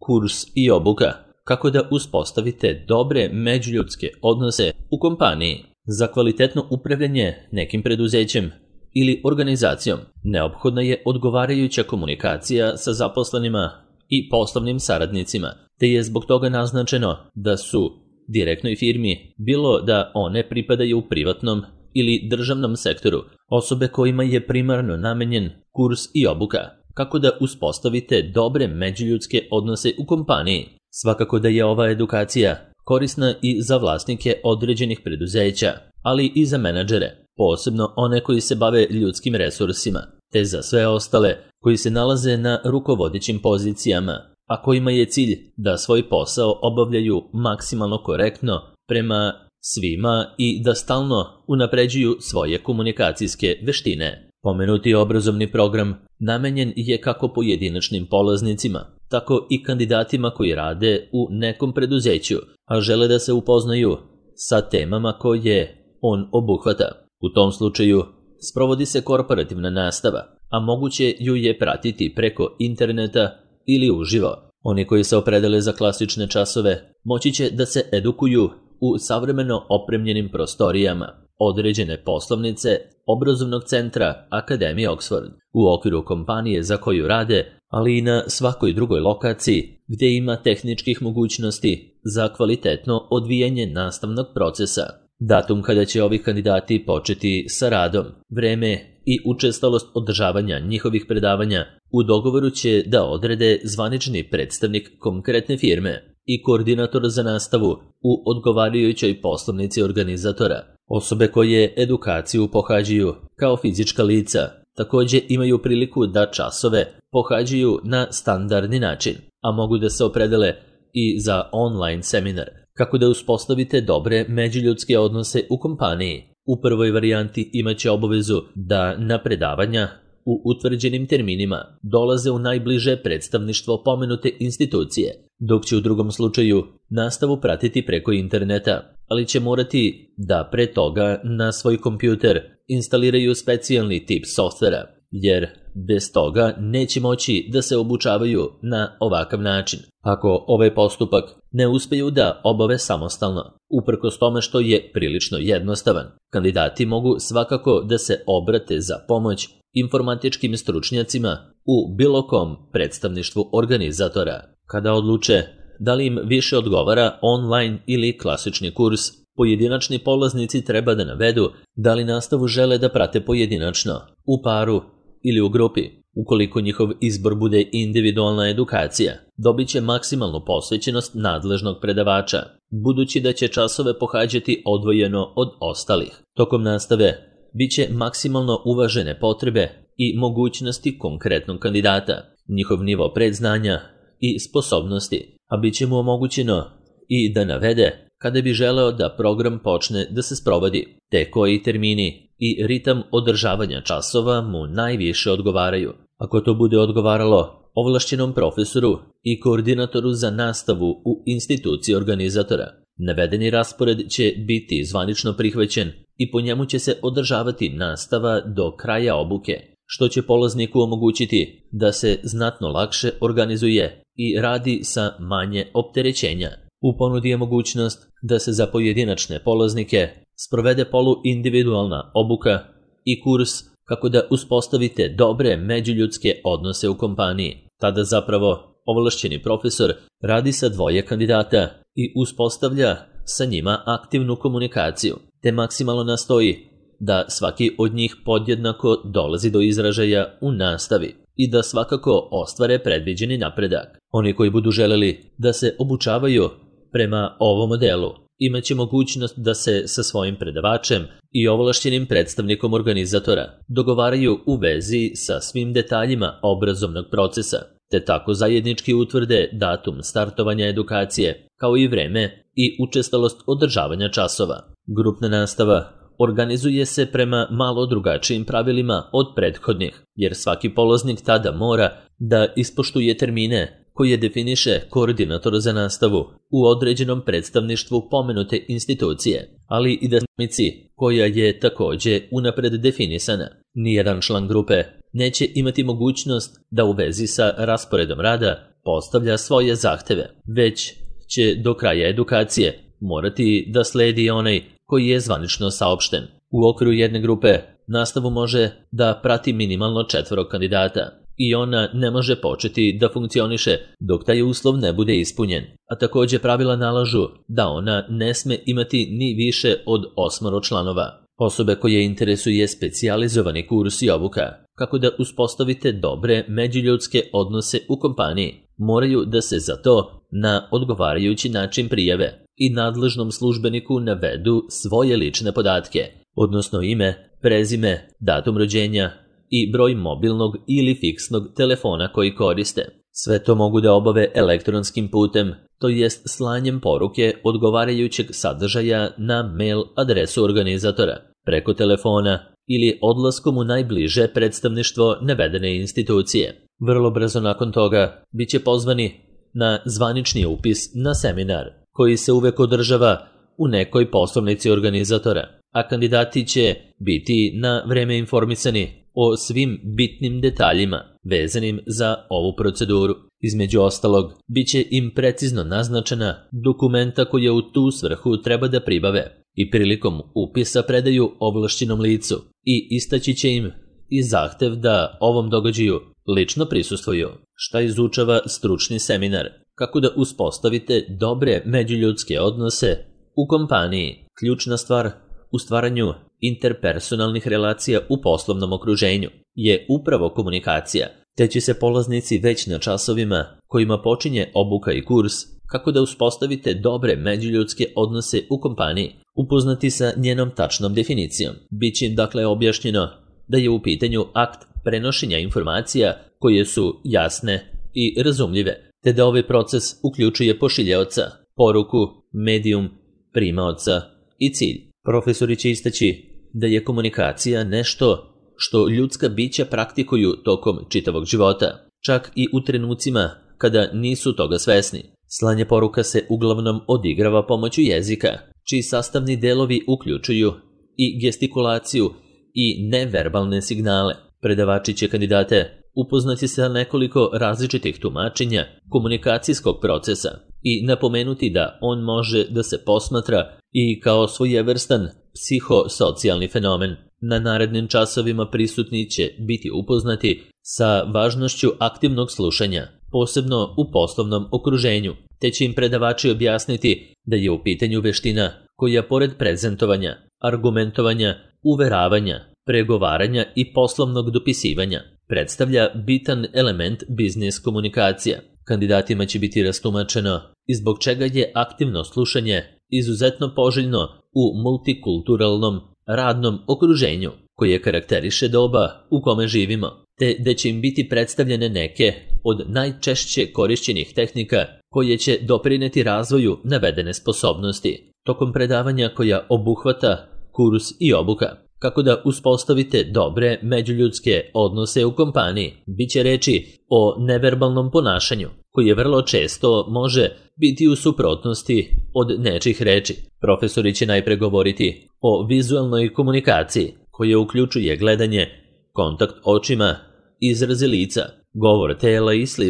kurs i obuka kako da uspostavite dobre međuljudske odnose u kompaniji. Za kvalitetno upravljanje nekim preduzećem ili organizacijom neophodna je odgovarajuća komunikacija sa zaposlenima i poslovnim saradnicima, te je zbog toga naznačeno da su direktnoj firmi, bilo da one pripadaju privatnom ili državnom sektoru, osobe kojima je primarno namenjen kurs i obuka kako da uspostavite dobre međuljudske odnose u kompaniji. Svakako da je ova edukacija korisna i za vlasnike određenih preduzeća, ali i za menadžere, posebno one koji se bave ljudskim resursima, te za sve ostale koji se nalaze na rukovodećim pozicijama, a kojima je cilj da svoj posao obavljaju maksimalno korektno prema svima i da stalno unapređuju svoje komunikacijske veštine. Pomenuti obrazovni program namenjen je kako pojedinačnim polaznicima, tako i kandidatima koji rade u nekom preduzeću, a žele da se upoznaju sa temama koje on obuhvata. U tom slučaju sprovodi se korporativna nastava, a moguće ju je pratiti preko interneta ili uživo. Oni koji se opredele za klasične časove moći će da se edukuju u savremeno opremljenim prostorijama određene poslovnice obrazovnog centra Akademije Oxford u okviru kompanije za koju rade, ali i na svakoj drugoj lokaciji gdje ima tehničkih mogućnosti za kvalitetno odvijanje nastavnog procesa. Datum kada će ovi kandidati početi sa radom, vreme i učestalost održavanja njihovih predavanja u dogovoru će da odrede zvanični predstavnik konkretne firme i koordinator za nastavu u odgovarajućoj poslovnici organizatora. Osobe koje edukaciju pohađaju kao fizička lica također imaju priliku da časove pohađaju na standardni način, a mogu da se opredele i za online seminar kako da uspostavite dobre međuljudske odnose u kompaniji. U prvoj varijanti imaće obavezu da na predavanja u utvrđenim terminima dolaze u najbliže predstavništvo pomenute institucije, dok će u drugom slučaju nastavu pratiti preko interneta, ali će morati da pre toga na svoj kompjuter instaliraju specijalni tip softvera, jer bez toga neće moći da se obučavaju na ovakav način. Ako ovaj postupak ne uspeju da obave samostalno, uprkos tome što je prilično jednostavan, kandidati mogu svakako da se obrate za pomoć informatičkim stručnjacima u bilo kom predstavništvu organizatora. Kada odluče da li im više odgovara online ili klasični kurs, pojedinačni polaznici treba da navedu da li nastavu žele da prate pojedinačno, u paru ili u grupi. Ukoliko njihov izbor bude individualna edukacija, dobit će maksimalnu posvećenost nadležnog predavača, budući da će časove pohađati odvojeno od ostalih. Tokom nastave bit će maksimalno uvažene potrebe i mogućnosti konkretnog kandidata, njihov nivo predznanja i sposobnosti, a bit će mu omogućeno i da navede kada bi želeo da program počne da se sprovodi, te koji termini i ritam održavanja časova mu najviše odgovaraju. Ako to bude odgovaralo ovlašćenom profesoru i koordinatoru za nastavu u instituciji organizatora, navedeni raspored će biti zvanično prihvaćen i po njemu će se održavati nastava do kraja obuke, što će polazniku omogućiti da se znatno lakše organizuje i radi sa manje opterećenja. U ponudi je mogućnost da se za pojedinačne polaznike sprovede poluindividualna obuka i kurs kako da uspostavite dobre međuljudske odnose u kompaniji. Tada zapravo ovlašćeni profesor radi sa dvoje kandidata i uspostavlja sa njima aktivnu komunikaciju, te maksimalno nastoji da svaki od njih podjednako dolazi do izražaja u nastavi i da svakako ostvare predviđeni napredak. Oni koji budu želeli da se obučavaju prema ovom modelu imaće mogućnost da se sa svojim predavačem i ovlašćenim predstavnikom organizatora dogovaraju u vezi sa svim detaljima obrazovnog procesa, te tako zajednički utvrde datum startovanja edukacije, kao i vreme i učestalost održavanja časova. Grupna nastava organizuje se prema malo drugačijim pravilima od prethodnih, jer svaki polaznik tada mora da ispoštuje termine koje definiše koordinator za nastavu u određenom predstavništvu pomenute institucije, ali i dinamici koja je također unapred definisana. Nijedan član grupe neće imati mogućnost da u vezi sa rasporedom rada postavlja svoje zahteve, već će do kraja edukacije morati da sledi onaj koji je zvanično saopšten. U okviru jedne grupe nastavu može da prati minimalno 4 kandidata i ona ne može početi da funkcioniše dok taj uslov ne bude ispunjen, a takođe pravila nalažu da ona ne sme imati ni više od 8 članova. Osobe koje interesuje specijalizovani kurs i obuka kako da uspostavite dobre međuljudske odnose u kompaniji moraju da se za to na odgovarajući način prijave i nadležnom službeniku navedu svoje lične podatke, odnosno ime, prezime, datum rođenja i broj mobilnog ili fiksnog telefona koji koriste. Sve to mogu da obave elektronskim putem, to jest slanjem poruke odgovarajućeg sadržaja na mail adresu organizatora, preko telefona ili odlaskom u najbliže predstavništvo navedene institucije. Vrlo brzo nakon toga bit će pozvani na zvanični upis na seminar, koji se uvek održava u nekoj poslovnici organizatora, a kandidati će biti na vreme informisani o svim bitnim detaljima vezanim za ovu proceduru. Između ostalog, bit će im precizno naznačena dokumenta koje u tu svrhu treba da pribave i prilikom upisa predaju ovlašćenom licu i istaći će im i zahtev da ovom događaju lično prisustvuju. Šta izučava stručni seminar? Kako da uspostavite dobre međuljudske odnose u kompaniji? Ključna stvar u stvaranju interpersonalnih relacija u poslovnom okruženju je upravo komunikacija, te će se polaznici već na časovima kojima počinje obuka i kurs kako da uspostavite dobre međuljudske odnose u kompaniji upoznati sa njenom tačnom definicijom. Biće im dakle objašnjeno da je u pitanju akt prenošenja informacija koje su jasne i razumljive, te da ovaj proces uključuje pošiljaoca, poruku, medijum, primaoca i cilj. Profesori će istaći da je komunikacija nešto što ljudska bića praktikuju tokom čitavog života, čak i u trenucima kada nisu toga svesni. Slanje poruka se uglavnom odigrava pomoću jezika, čiji sastavni delovi uključuju i gestikulaciju i neverbalne signale. Predavači će kandidate upoznati sa nekoliko različitih tumačenja komunikacijskog procesa i napomenuti da on može da se posmatra i kao svojevrstan psihosocijalni fenomen. Na narednim časovima prisutni će biti upoznati sa važnošću aktivnog slušanja, posebno u poslovnom okruženju, te će im predavači objasniti da je u pitanju veština koja pored prezentovanja, argumentovanja, uveravanja, pregovaranja i poslovnog dopisivanja predstavlja bitan element biznis komunikacija. Kandidatima će biti rastumačeno i zbog čega je aktivno slušanje izuzetno poželjno u multikulturalnom radnom okruženju koje karakteriše doba u kome živimo, te da će im biti predstavljene neke od najčešće korišćenih tehnika koje će doprineti razvoju navedene sposobnosti. Tokom predavanja koja obuhvata kurs i obuka, kako da uspostavite dobre međuljudske odnose u kompaniji, bit će reči o neverbalnom ponašanju, koje vrlo često može biti u suprotnosti od nečih reči. Profesori će najpre govoriti o vizualnoj komunikaciji, koja uključuje gledanje, kontakt očima, izraze lica, govor tela i sl.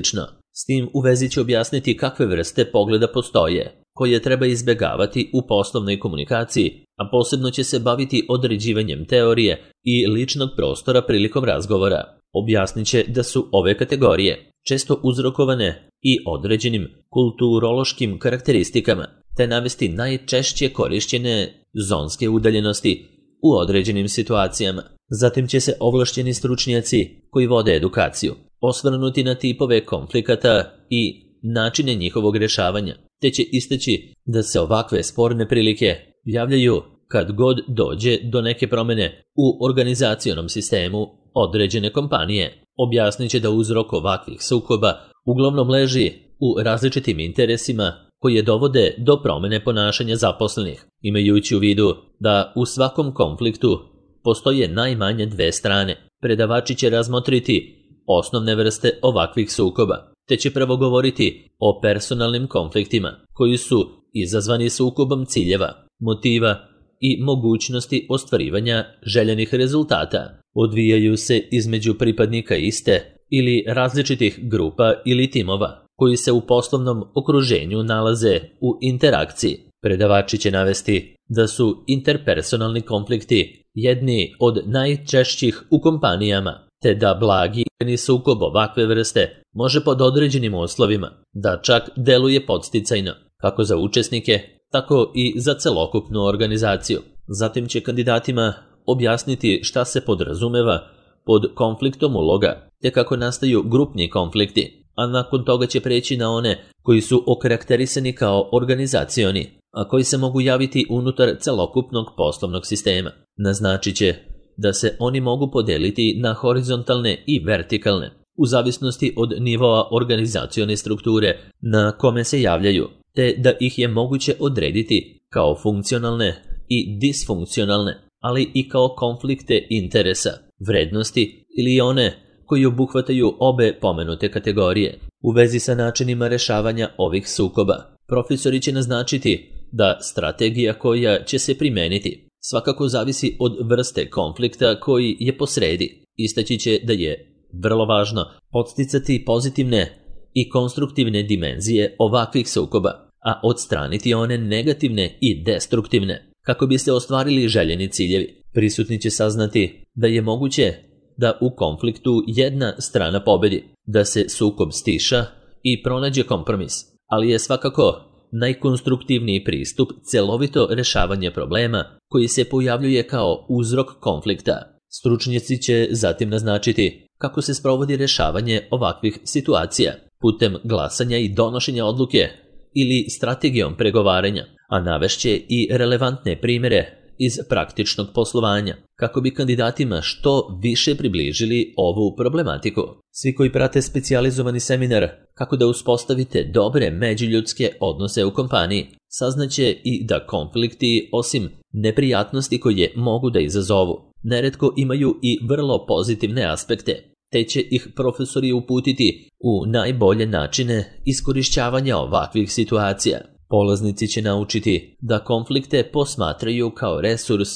S tim u vezi će objasniti kakve vrste pogleda postoje, koje treba izbegavati u poslovnoj komunikaciji, a posebno će se baviti određivanjem teorije i ličnog prostora prilikom razgovora. Objasnit će da su ove kategorije često uzrokovane i određenim kulturološkim karakteristikama, te navesti najčešće korišćene zonske udaljenosti u određenim situacijama. Zatim će se ovlašćeni stručnjaci koji vode edukaciju osvrnuti na tipove konflikata i načine njihovog rešavanja, te će istaći da se ovakve sporne prilike javljaju kad god dođe do neke promene u organizacionom sistemu određene kompanije. Objasnit će da uzrok ovakvih sukoba uglavnom leži u različitim interesima koje dovode do promene ponašanja zaposlenih, imajući u vidu da u svakom konfliktu postoje najmanje dve strane. Predavači će razmotriti osnovne vrste ovakvih sukoba, te će prvo govoriti o personalnim konfliktima koji su izazvani sukobom ciljeva, motiva i mogućnosti ostvarivanja željenih rezultata. Odvijaju se između pripadnika iste ili različitih grupa ili timova, koji se u poslovnom okruženju nalaze u interakciji. Predavači će navesti da su interpersonalni konflikti jedni od najčešćih u kompanijama, te da blagi sukob ovakve vrste može pod određenim uslovima da čak deluje podsticajno, kako za učesnike, tako i za celokupnu organizaciju. Zatim će kandidatima objasniti šta se podrazumeva pod konfliktom uloga, te kako nastaju grupni konflikti, a nakon toga će preći na one koji su okarakterisani kao organizacioni, a koji se mogu javiti unutar celokupnog poslovnog sistema. Naznačit će da se oni mogu podeliti na horizontalne i vertikalne, u zavisnosti od nivoa organizacione strukture na kome se javljaju, te da ih je moguće odrediti kao funkcionalne i disfunkcionalne, ali i kao konflikte interesa, vrednosti ili one koji obuhvataju obe pomenute kategorije. U vezi sa načinima rešavanja ovih sukoba, profesori će naznačiti da strategija koja će se primeniti svakako zavisi od vrste konflikta koji je posredi. Istaći će da je vrlo važno podsticati pozitivne i konstruktivne dimenzije ovakvih sukoba, a odstraniti one negativne i destruktivne, kako bi se ostvarili željeni ciljevi. Prisutni će saznati da je moguće da u konfliktu jedna strana pobedi, da se sukob stiša i pronađe kompromis, ali je svakako najkonstruktivniji pristup celovito rešavanje problema koji se pojavljuje kao uzrok konflikta. Stručnjaci će zatim naznačiti kako se sprovodi rešavanje ovakvih situacija putem glasanja i donošenja odluke ili strategijom pregovaranja, a navešće i relevantne primjere iz praktičnog poslovanja, kako bi kandidatima što više približili ovu problematiku. Svi koji prate specijalizovani seminar kako da uspostavite dobre međuljudske odnose u kompaniji, saznaće i da konflikti, osim neprijatnosti koje mogu da izazovu, neretko imaju i vrlo pozitivne aspekte, te će ih profesori uputiti u najbolje načine iskorišćavanja ovakvih situacija. Polaznici će naučiti da konflikte posmatraju kao resurs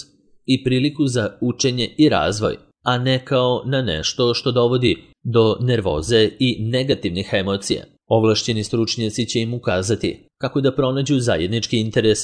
i priliku za učenje i razvoj, a ne kao na nešto što dovodi do nervoze i negativnih emocija. Ovlašćeni stručnjaci će im ukazati kako da pronađu zajednički interes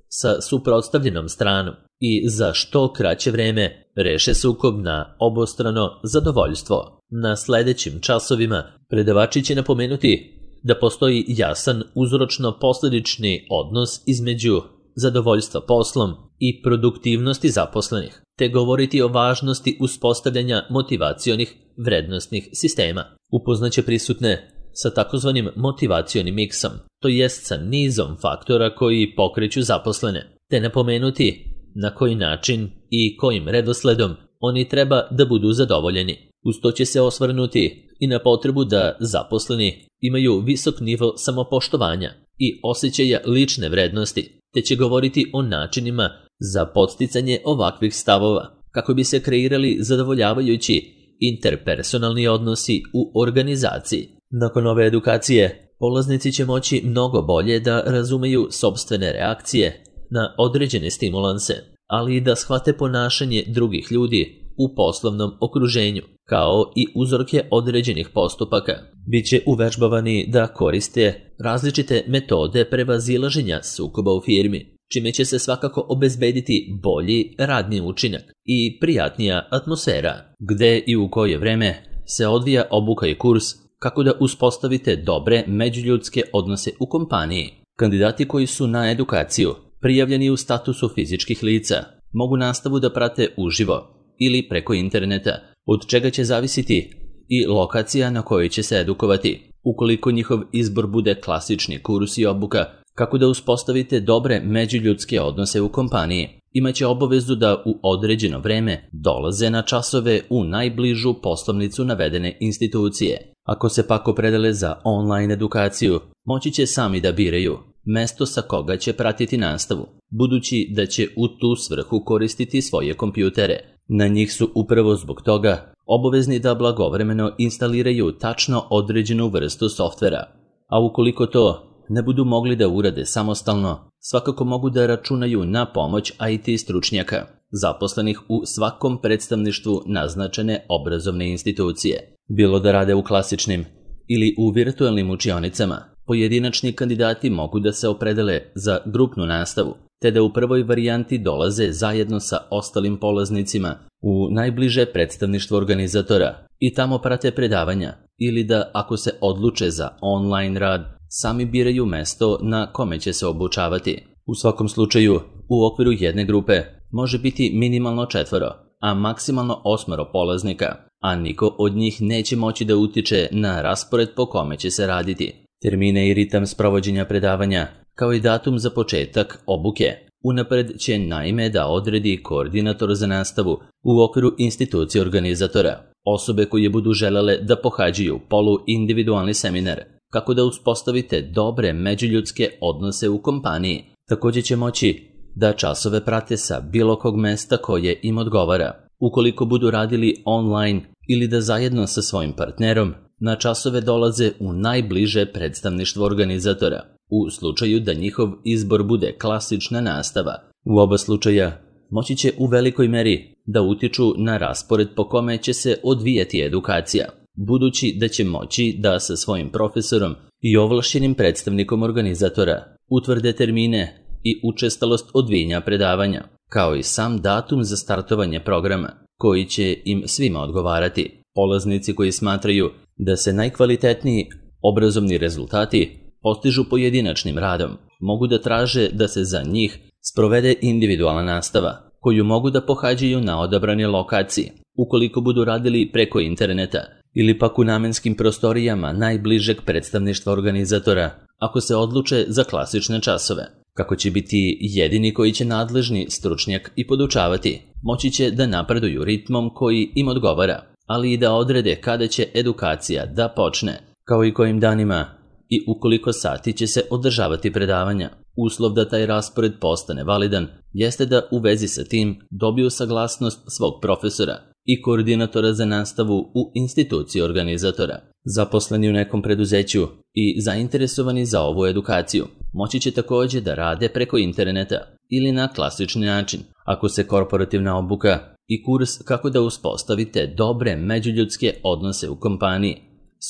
sa suprotstavljenom stranom i za što kraće vreme reše sukob na obostrano zadovoljstvo. Na sledećim časovima predavači će napomenuti da postoji jasan uzročno-posledični odnos između zadovoljstva poslom i produktivnosti zaposlenih, te govoriti o važnosti uspostavljanja motivacionih vrednostnih sistema. Upoznaće prisutne sa takozvanim motivacionim miksom, to jest sa nizom faktora koji pokreću zaposlene, te napomenuti na koji način i kojim redosledom oni treba da budu zadovoljeni. Uz to će se osvrnuti i na potrebu da zaposleni imaju visok nivo samopoštovanja i osjećaja lične vrednosti, te će govoriti o načinima za podsticanje ovakvih stavova, kako bi se kreirali zadovoljavajući interpersonalni odnosi u organizaciji. Nakon ove edukacije, polaznici će moći mnogo bolje da razumeju sopstvene reakcije na određene stimulanse, ali i da shvate ponašanje drugih ljudi u poslovnom okruženju, kao i uzorke određenih postupaka. Biće uvežbavani da koriste različite metode prevazilaženja sukoba u firmi, čime će se svakako obezbediti bolji radni učinak i prijatnija atmosfera. Gde i u koje vreme se odvija obuka i kurs kako da uspostavite dobre međuljudske odnose u kompaniji. Kandidati koji su na edukaciju prijavljeni u statusu fizičkih lica mogu nastavu da prate uživo ili preko interneta, od čega će zavisiti i lokacija na kojoj će se edukovati. Ukoliko njihov izbor bude klasični kurs i obuka kako da uspostavite dobre međuljudske odnose u kompaniji, imaće obavezu da u određeno vreme dolaze na časove u najbližu poslovnicu navedene institucije. Ako se pak opredele za online edukaciju, moći će sami da biraju mesto sa koga će pratiti nastavu, budući da će u tu svrhu koristiti svoje kompjutere. Na njih su upravo zbog toga obavezni da blagovremeno instaliraju tačno određenu vrstu softvera, a ukoliko to ne budu mogli da urade samostalno, svakako mogu da računaju na pomoć IT stručnjaka, zaposlenih u svakom predstavništvu naznačene obrazovne institucije. Bilo da rade u klasičnim ili u virtualnim učionicama, pojedinačni kandidati mogu da se opredele za grupnu nastavu, te da u prvoj varijanti dolaze zajedno sa ostalim polaznicima u najbliže predstavništvo organizatora i tamo prate predavanja, ili da, ako se odluče za online rad, sami biraju mesto na kome će se obučavati. U svakom slučaju, u okviru jedne grupe može biti minimalno 4, a maksimalno 8 polaznika, a niko od njih neće moći da utiče na raspored po kome će se raditi. Termine i ritam sprovođenja predavanja, kao i datum za početak obuke, unapred će naime da odredi koordinator za nastavu u okviru institucije organizatora. Osobe koje budu želele da pohađaju poluindividualni seminar, kako da uspostavite dobre međuljudske odnose u kompaniji, također će moći da časove prate sa bilo kog mesta koje im odgovara. Ukoliko budu radili online ili da zajedno sa svojim partnerom na časove dolaze u najbliže predstavništvo organizatora, u slučaju da njihov izbor bude klasična nastava. U oba slučaja moći će u velikoj meri da utiču na raspored po kome će se odvijati edukacija, budući da će moći da sa svojim profesorom i ovlašćenim predstavnikom organizatora utvrde termine i učestalost odvijanja predavanja, kao i sam datum za startovanje programa, koji će im svima odgovarati. Polaznici koji smatraju da se najkvalitetniji obrazovni rezultati postižu pojedinačnim radom, mogu da traže da se za njih sprovede individualna nastava, koju mogu da pohađaju na odabrane lokacije, ukoliko budu radili preko interneta ili pak u namenskim prostorijama najbližeg predstavništva organizatora, ako se odluče za klasične časove. Kako će biti jedini koji će nadležni stručnjak i podučavati, moći će da napreduju ritmom koji im odgovara, ali i da odrede kada će edukacija da počne, kao i kojim danima i u koliko sati će se održavati predavanja. Uslov da taj raspored postane validan jeste da u vezi sa tim dobiju saglasnost svog profesora i koordinatora za nastavu u instituciji organizatora. Zaposleni u nekom preduzeću i zainteresovani za ovu edukaciju moći će također da rade preko interneta ili na klasični način. Ako se korporativna obuka i kurs kako da uspostavite dobre međuljudske odnose u kompaniji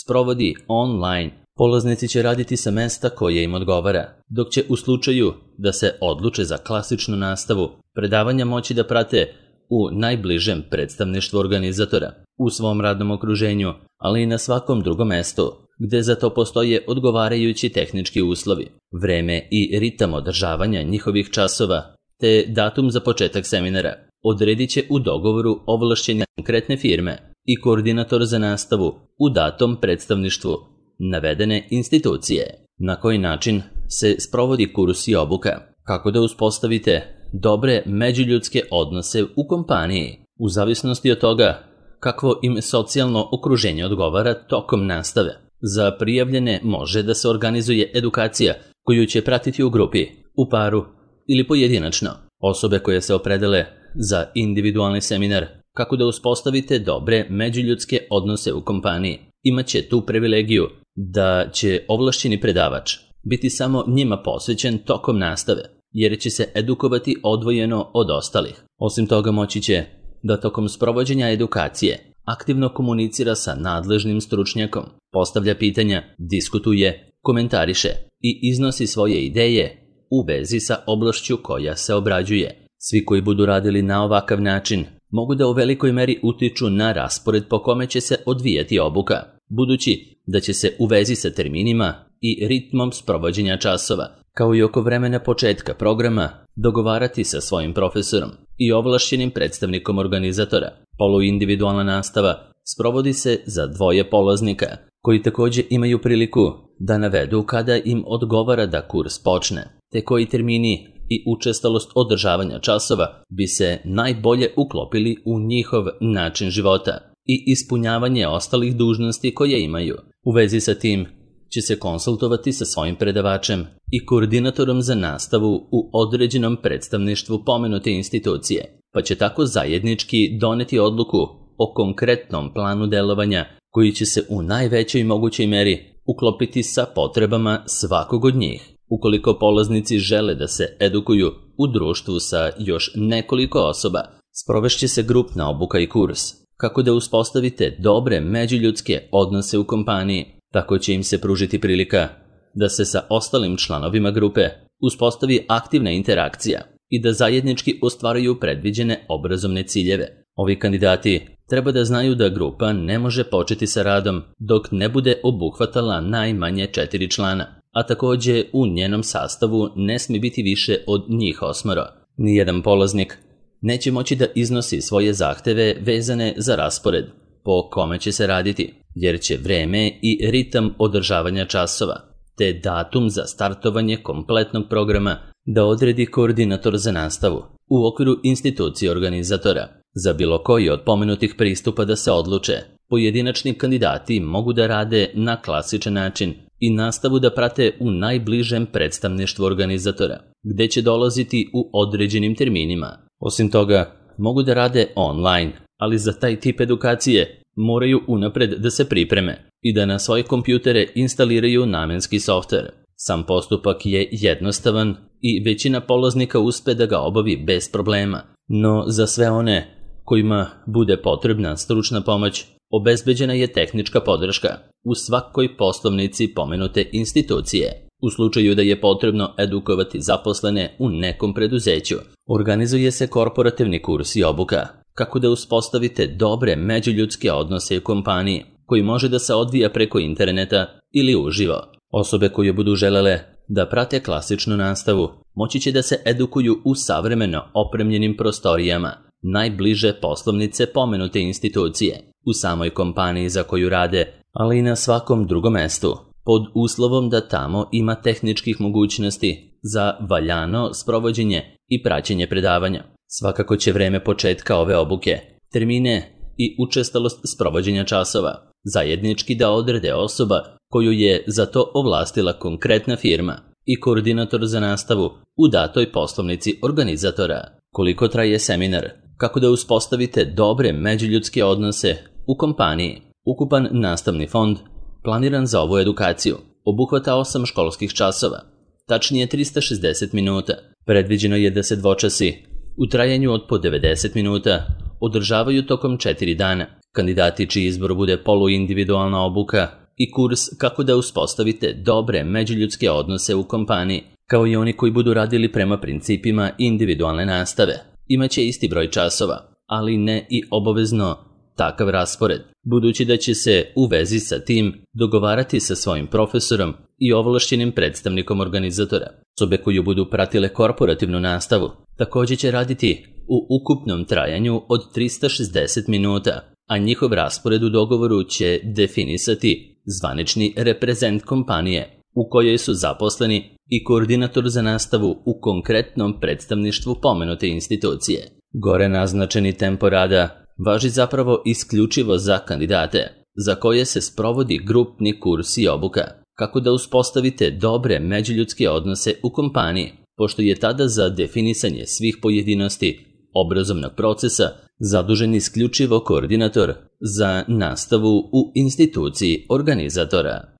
sprovodi online, polaznici će raditi sa mesta koje im odgovara, dok će u slučaju da se odluče za klasičnu nastavu predavanja moći da prate u najbližem predstavništvu organizatora, u svom radnom okruženju, ali i na svakom drugom mestu, gde za to postoje odgovarajući tehnički uslovi, vreme i ritam održavanja njihovih časova, te datum za početak seminara odredit će u dogovoru ovlašćenja konkretne firme i koordinator za nastavu u datom predstavništvu navedene institucije. Na koji način se sprovodi kurs i obuka? Kako da uspostavite dobre međuljudske odnose u kompaniji, u zavisnosti od toga kakvo im socijalno okruženje odgovara tokom nastave. Za prijavljene može da se organizuje edukacija koju će pratiti u grupi, u paru ili pojedinačno. Osobe koje se opredele za individualni seminar kako da uspostavite dobre međuljudske odnose u kompaniji imat će tu privilegiju da će ovlašćeni predavač biti samo njima posvećen tokom nastave, jer će se edukovati odvojeno od ostalih. Osim toga moći će da tokom sprovođenja edukacije aktivno komunicira sa nadležnim stručnjakom, postavlja pitanja, diskutuje, komentariše i iznosi svoje ideje u vezi sa oblašću koja se obrađuje. Svi koji budu radili na ovakav način mogu da u velikoj meri utiču na raspored po kome će se odvijati obuka, budući da će se u vezi sa terminima i ritmom sprovođenja časova, kao i oko vremena početka programa, dogovarati sa svojim profesorom i ovlašćenim predstavnikom organizatora. Poluindividualna nastava sprovodi se za 2 polaznika, koji također imaju priliku da navedu kada im odgovara da kurs počne, te koji termini i učestalost održavanja časova bi se najbolje uklopili u njihov način života i ispunjavanje ostalih dužnosti koje imaju. U vezi sa tim će se konsultovati sa svojim predavačem i koordinatorom za nastavu u određenom predstavništvu pomenute institucije, pa će tako zajednički doneti odluku o konkretnom planu delovanja koji će se u najvećoj mogućoj meri uklopiti sa potrebama svakog od njih. Ukoliko polaznici žele da se edukuju u društvu sa još nekoliko osoba, sprovešće se grupna obuka i kurs, kako da uspostavite dobre međuljudske odnose u kompaniji, Tako će im se pružiti prilika da se sa ostalim članovima grupe uspostavi aktivna interakcija i da zajednički ostvaruju predviđene obrazovne ciljeve. Ovi kandidati treba da znaju da grupa ne može početi sa radom dok ne bude obuhvatala najmanje 4 člana, a takođe u njenom sastavu ne smije biti više od njih 8. Nijedan polaznik neće moći da iznosi svoje zahteve vezane za raspored po kome će se raditi, jer će vreme i ritam održavanja časova, te datum za startovanje kompletnog programa da odredi koordinator za nastavu u okviru institucije organizatora. Za bilo koji od pomenutih pristupa da se odluče, pojedinačni kandidati mogu da rade na klasičan način i nastavu da prate u najbližem predstavništvu organizatora, gde će dolaziti u određenim terminima. Osim toga, mogu da rade online, ali za taj tip edukacije moraju unapred da se pripreme i da na svoje kompjutere instaliraju namenski softver. Sam postupak je jednostavan i većina polaznika uspe da ga obavi bez problema, no za sve one kojima bude potrebna stručna pomoć, obezbeđena je tehnička podrška u svakoj poslovnici pomenute institucije. U slučaju da je potrebno edukovati zaposlene u nekom preduzeću, organizuje se korporativni kurs i obuka kako da uspostavite dobre međuljudske odnose u kompaniji, koji može da se odvija preko interneta ili uživo. Osobe koje budu želele da prate klasičnu nastavu moći će da se edukuju u savremeno opremljenim prostorijama najbliže poslovnice pomenute institucije, u samoj kompaniji za koju rade, ali i na svakom drugom mestu, pod uslovom da tamo ima tehničkih mogućnosti za valjano sprovođenje i praćenje predavanja. Svakako će vreme početka ove obuke, termine i učestalost sprovođenja časova zajednički da odrede osoba koju je za to ovlastila konkretna firma i koordinator za nastavu u datoj poslovnici organizatora. Koliko traje seminar? Kako da uspostavite dobre međuljudske odnose u kompaniji? Ukupan nastavni fond planiran za ovu edukaciju obuhvata 8 školskih časova, tačnije 360 minuta. Predviđeno je da se dvočasi u trajanju od po 90 minuta održavaju tokom 4 dana. Kandidati čiji izbor bude poluindividualna obuka i kurs kako da uspostavite dobre međuljudske odnose u kompaniji, kao i oni koji budu radili prema principima individualne nastave, imaće isti broj časova, ali ne i obavezno takav raspored, budući da će se u vezi sa tim dogovarati sa svojim profesorom i ovlašćenim predstavnikom organizatora. Osobe koje budu pratile korporativnu nastavu također će raditi u ukupnom trajanju od 360 minuta, a njihov raspored u dogovoru će definisati zvanični reprezent kompanije u kojoj su zaposleni i koordinator za nastavu u konkretnom predstavništvu pomenute institucije. Gore naznačeni tempo rada važi zapravo isključivo za kandidate za koje se sprovodi grupni kurs i obuka, kako da uspostavite dobre međuljudske odnose u kompaniji, pošto je tada za definisanje svih pojedinosti obrazovnog procesa zadužen isključivo koordinator za nastavu u instituciji organizatora.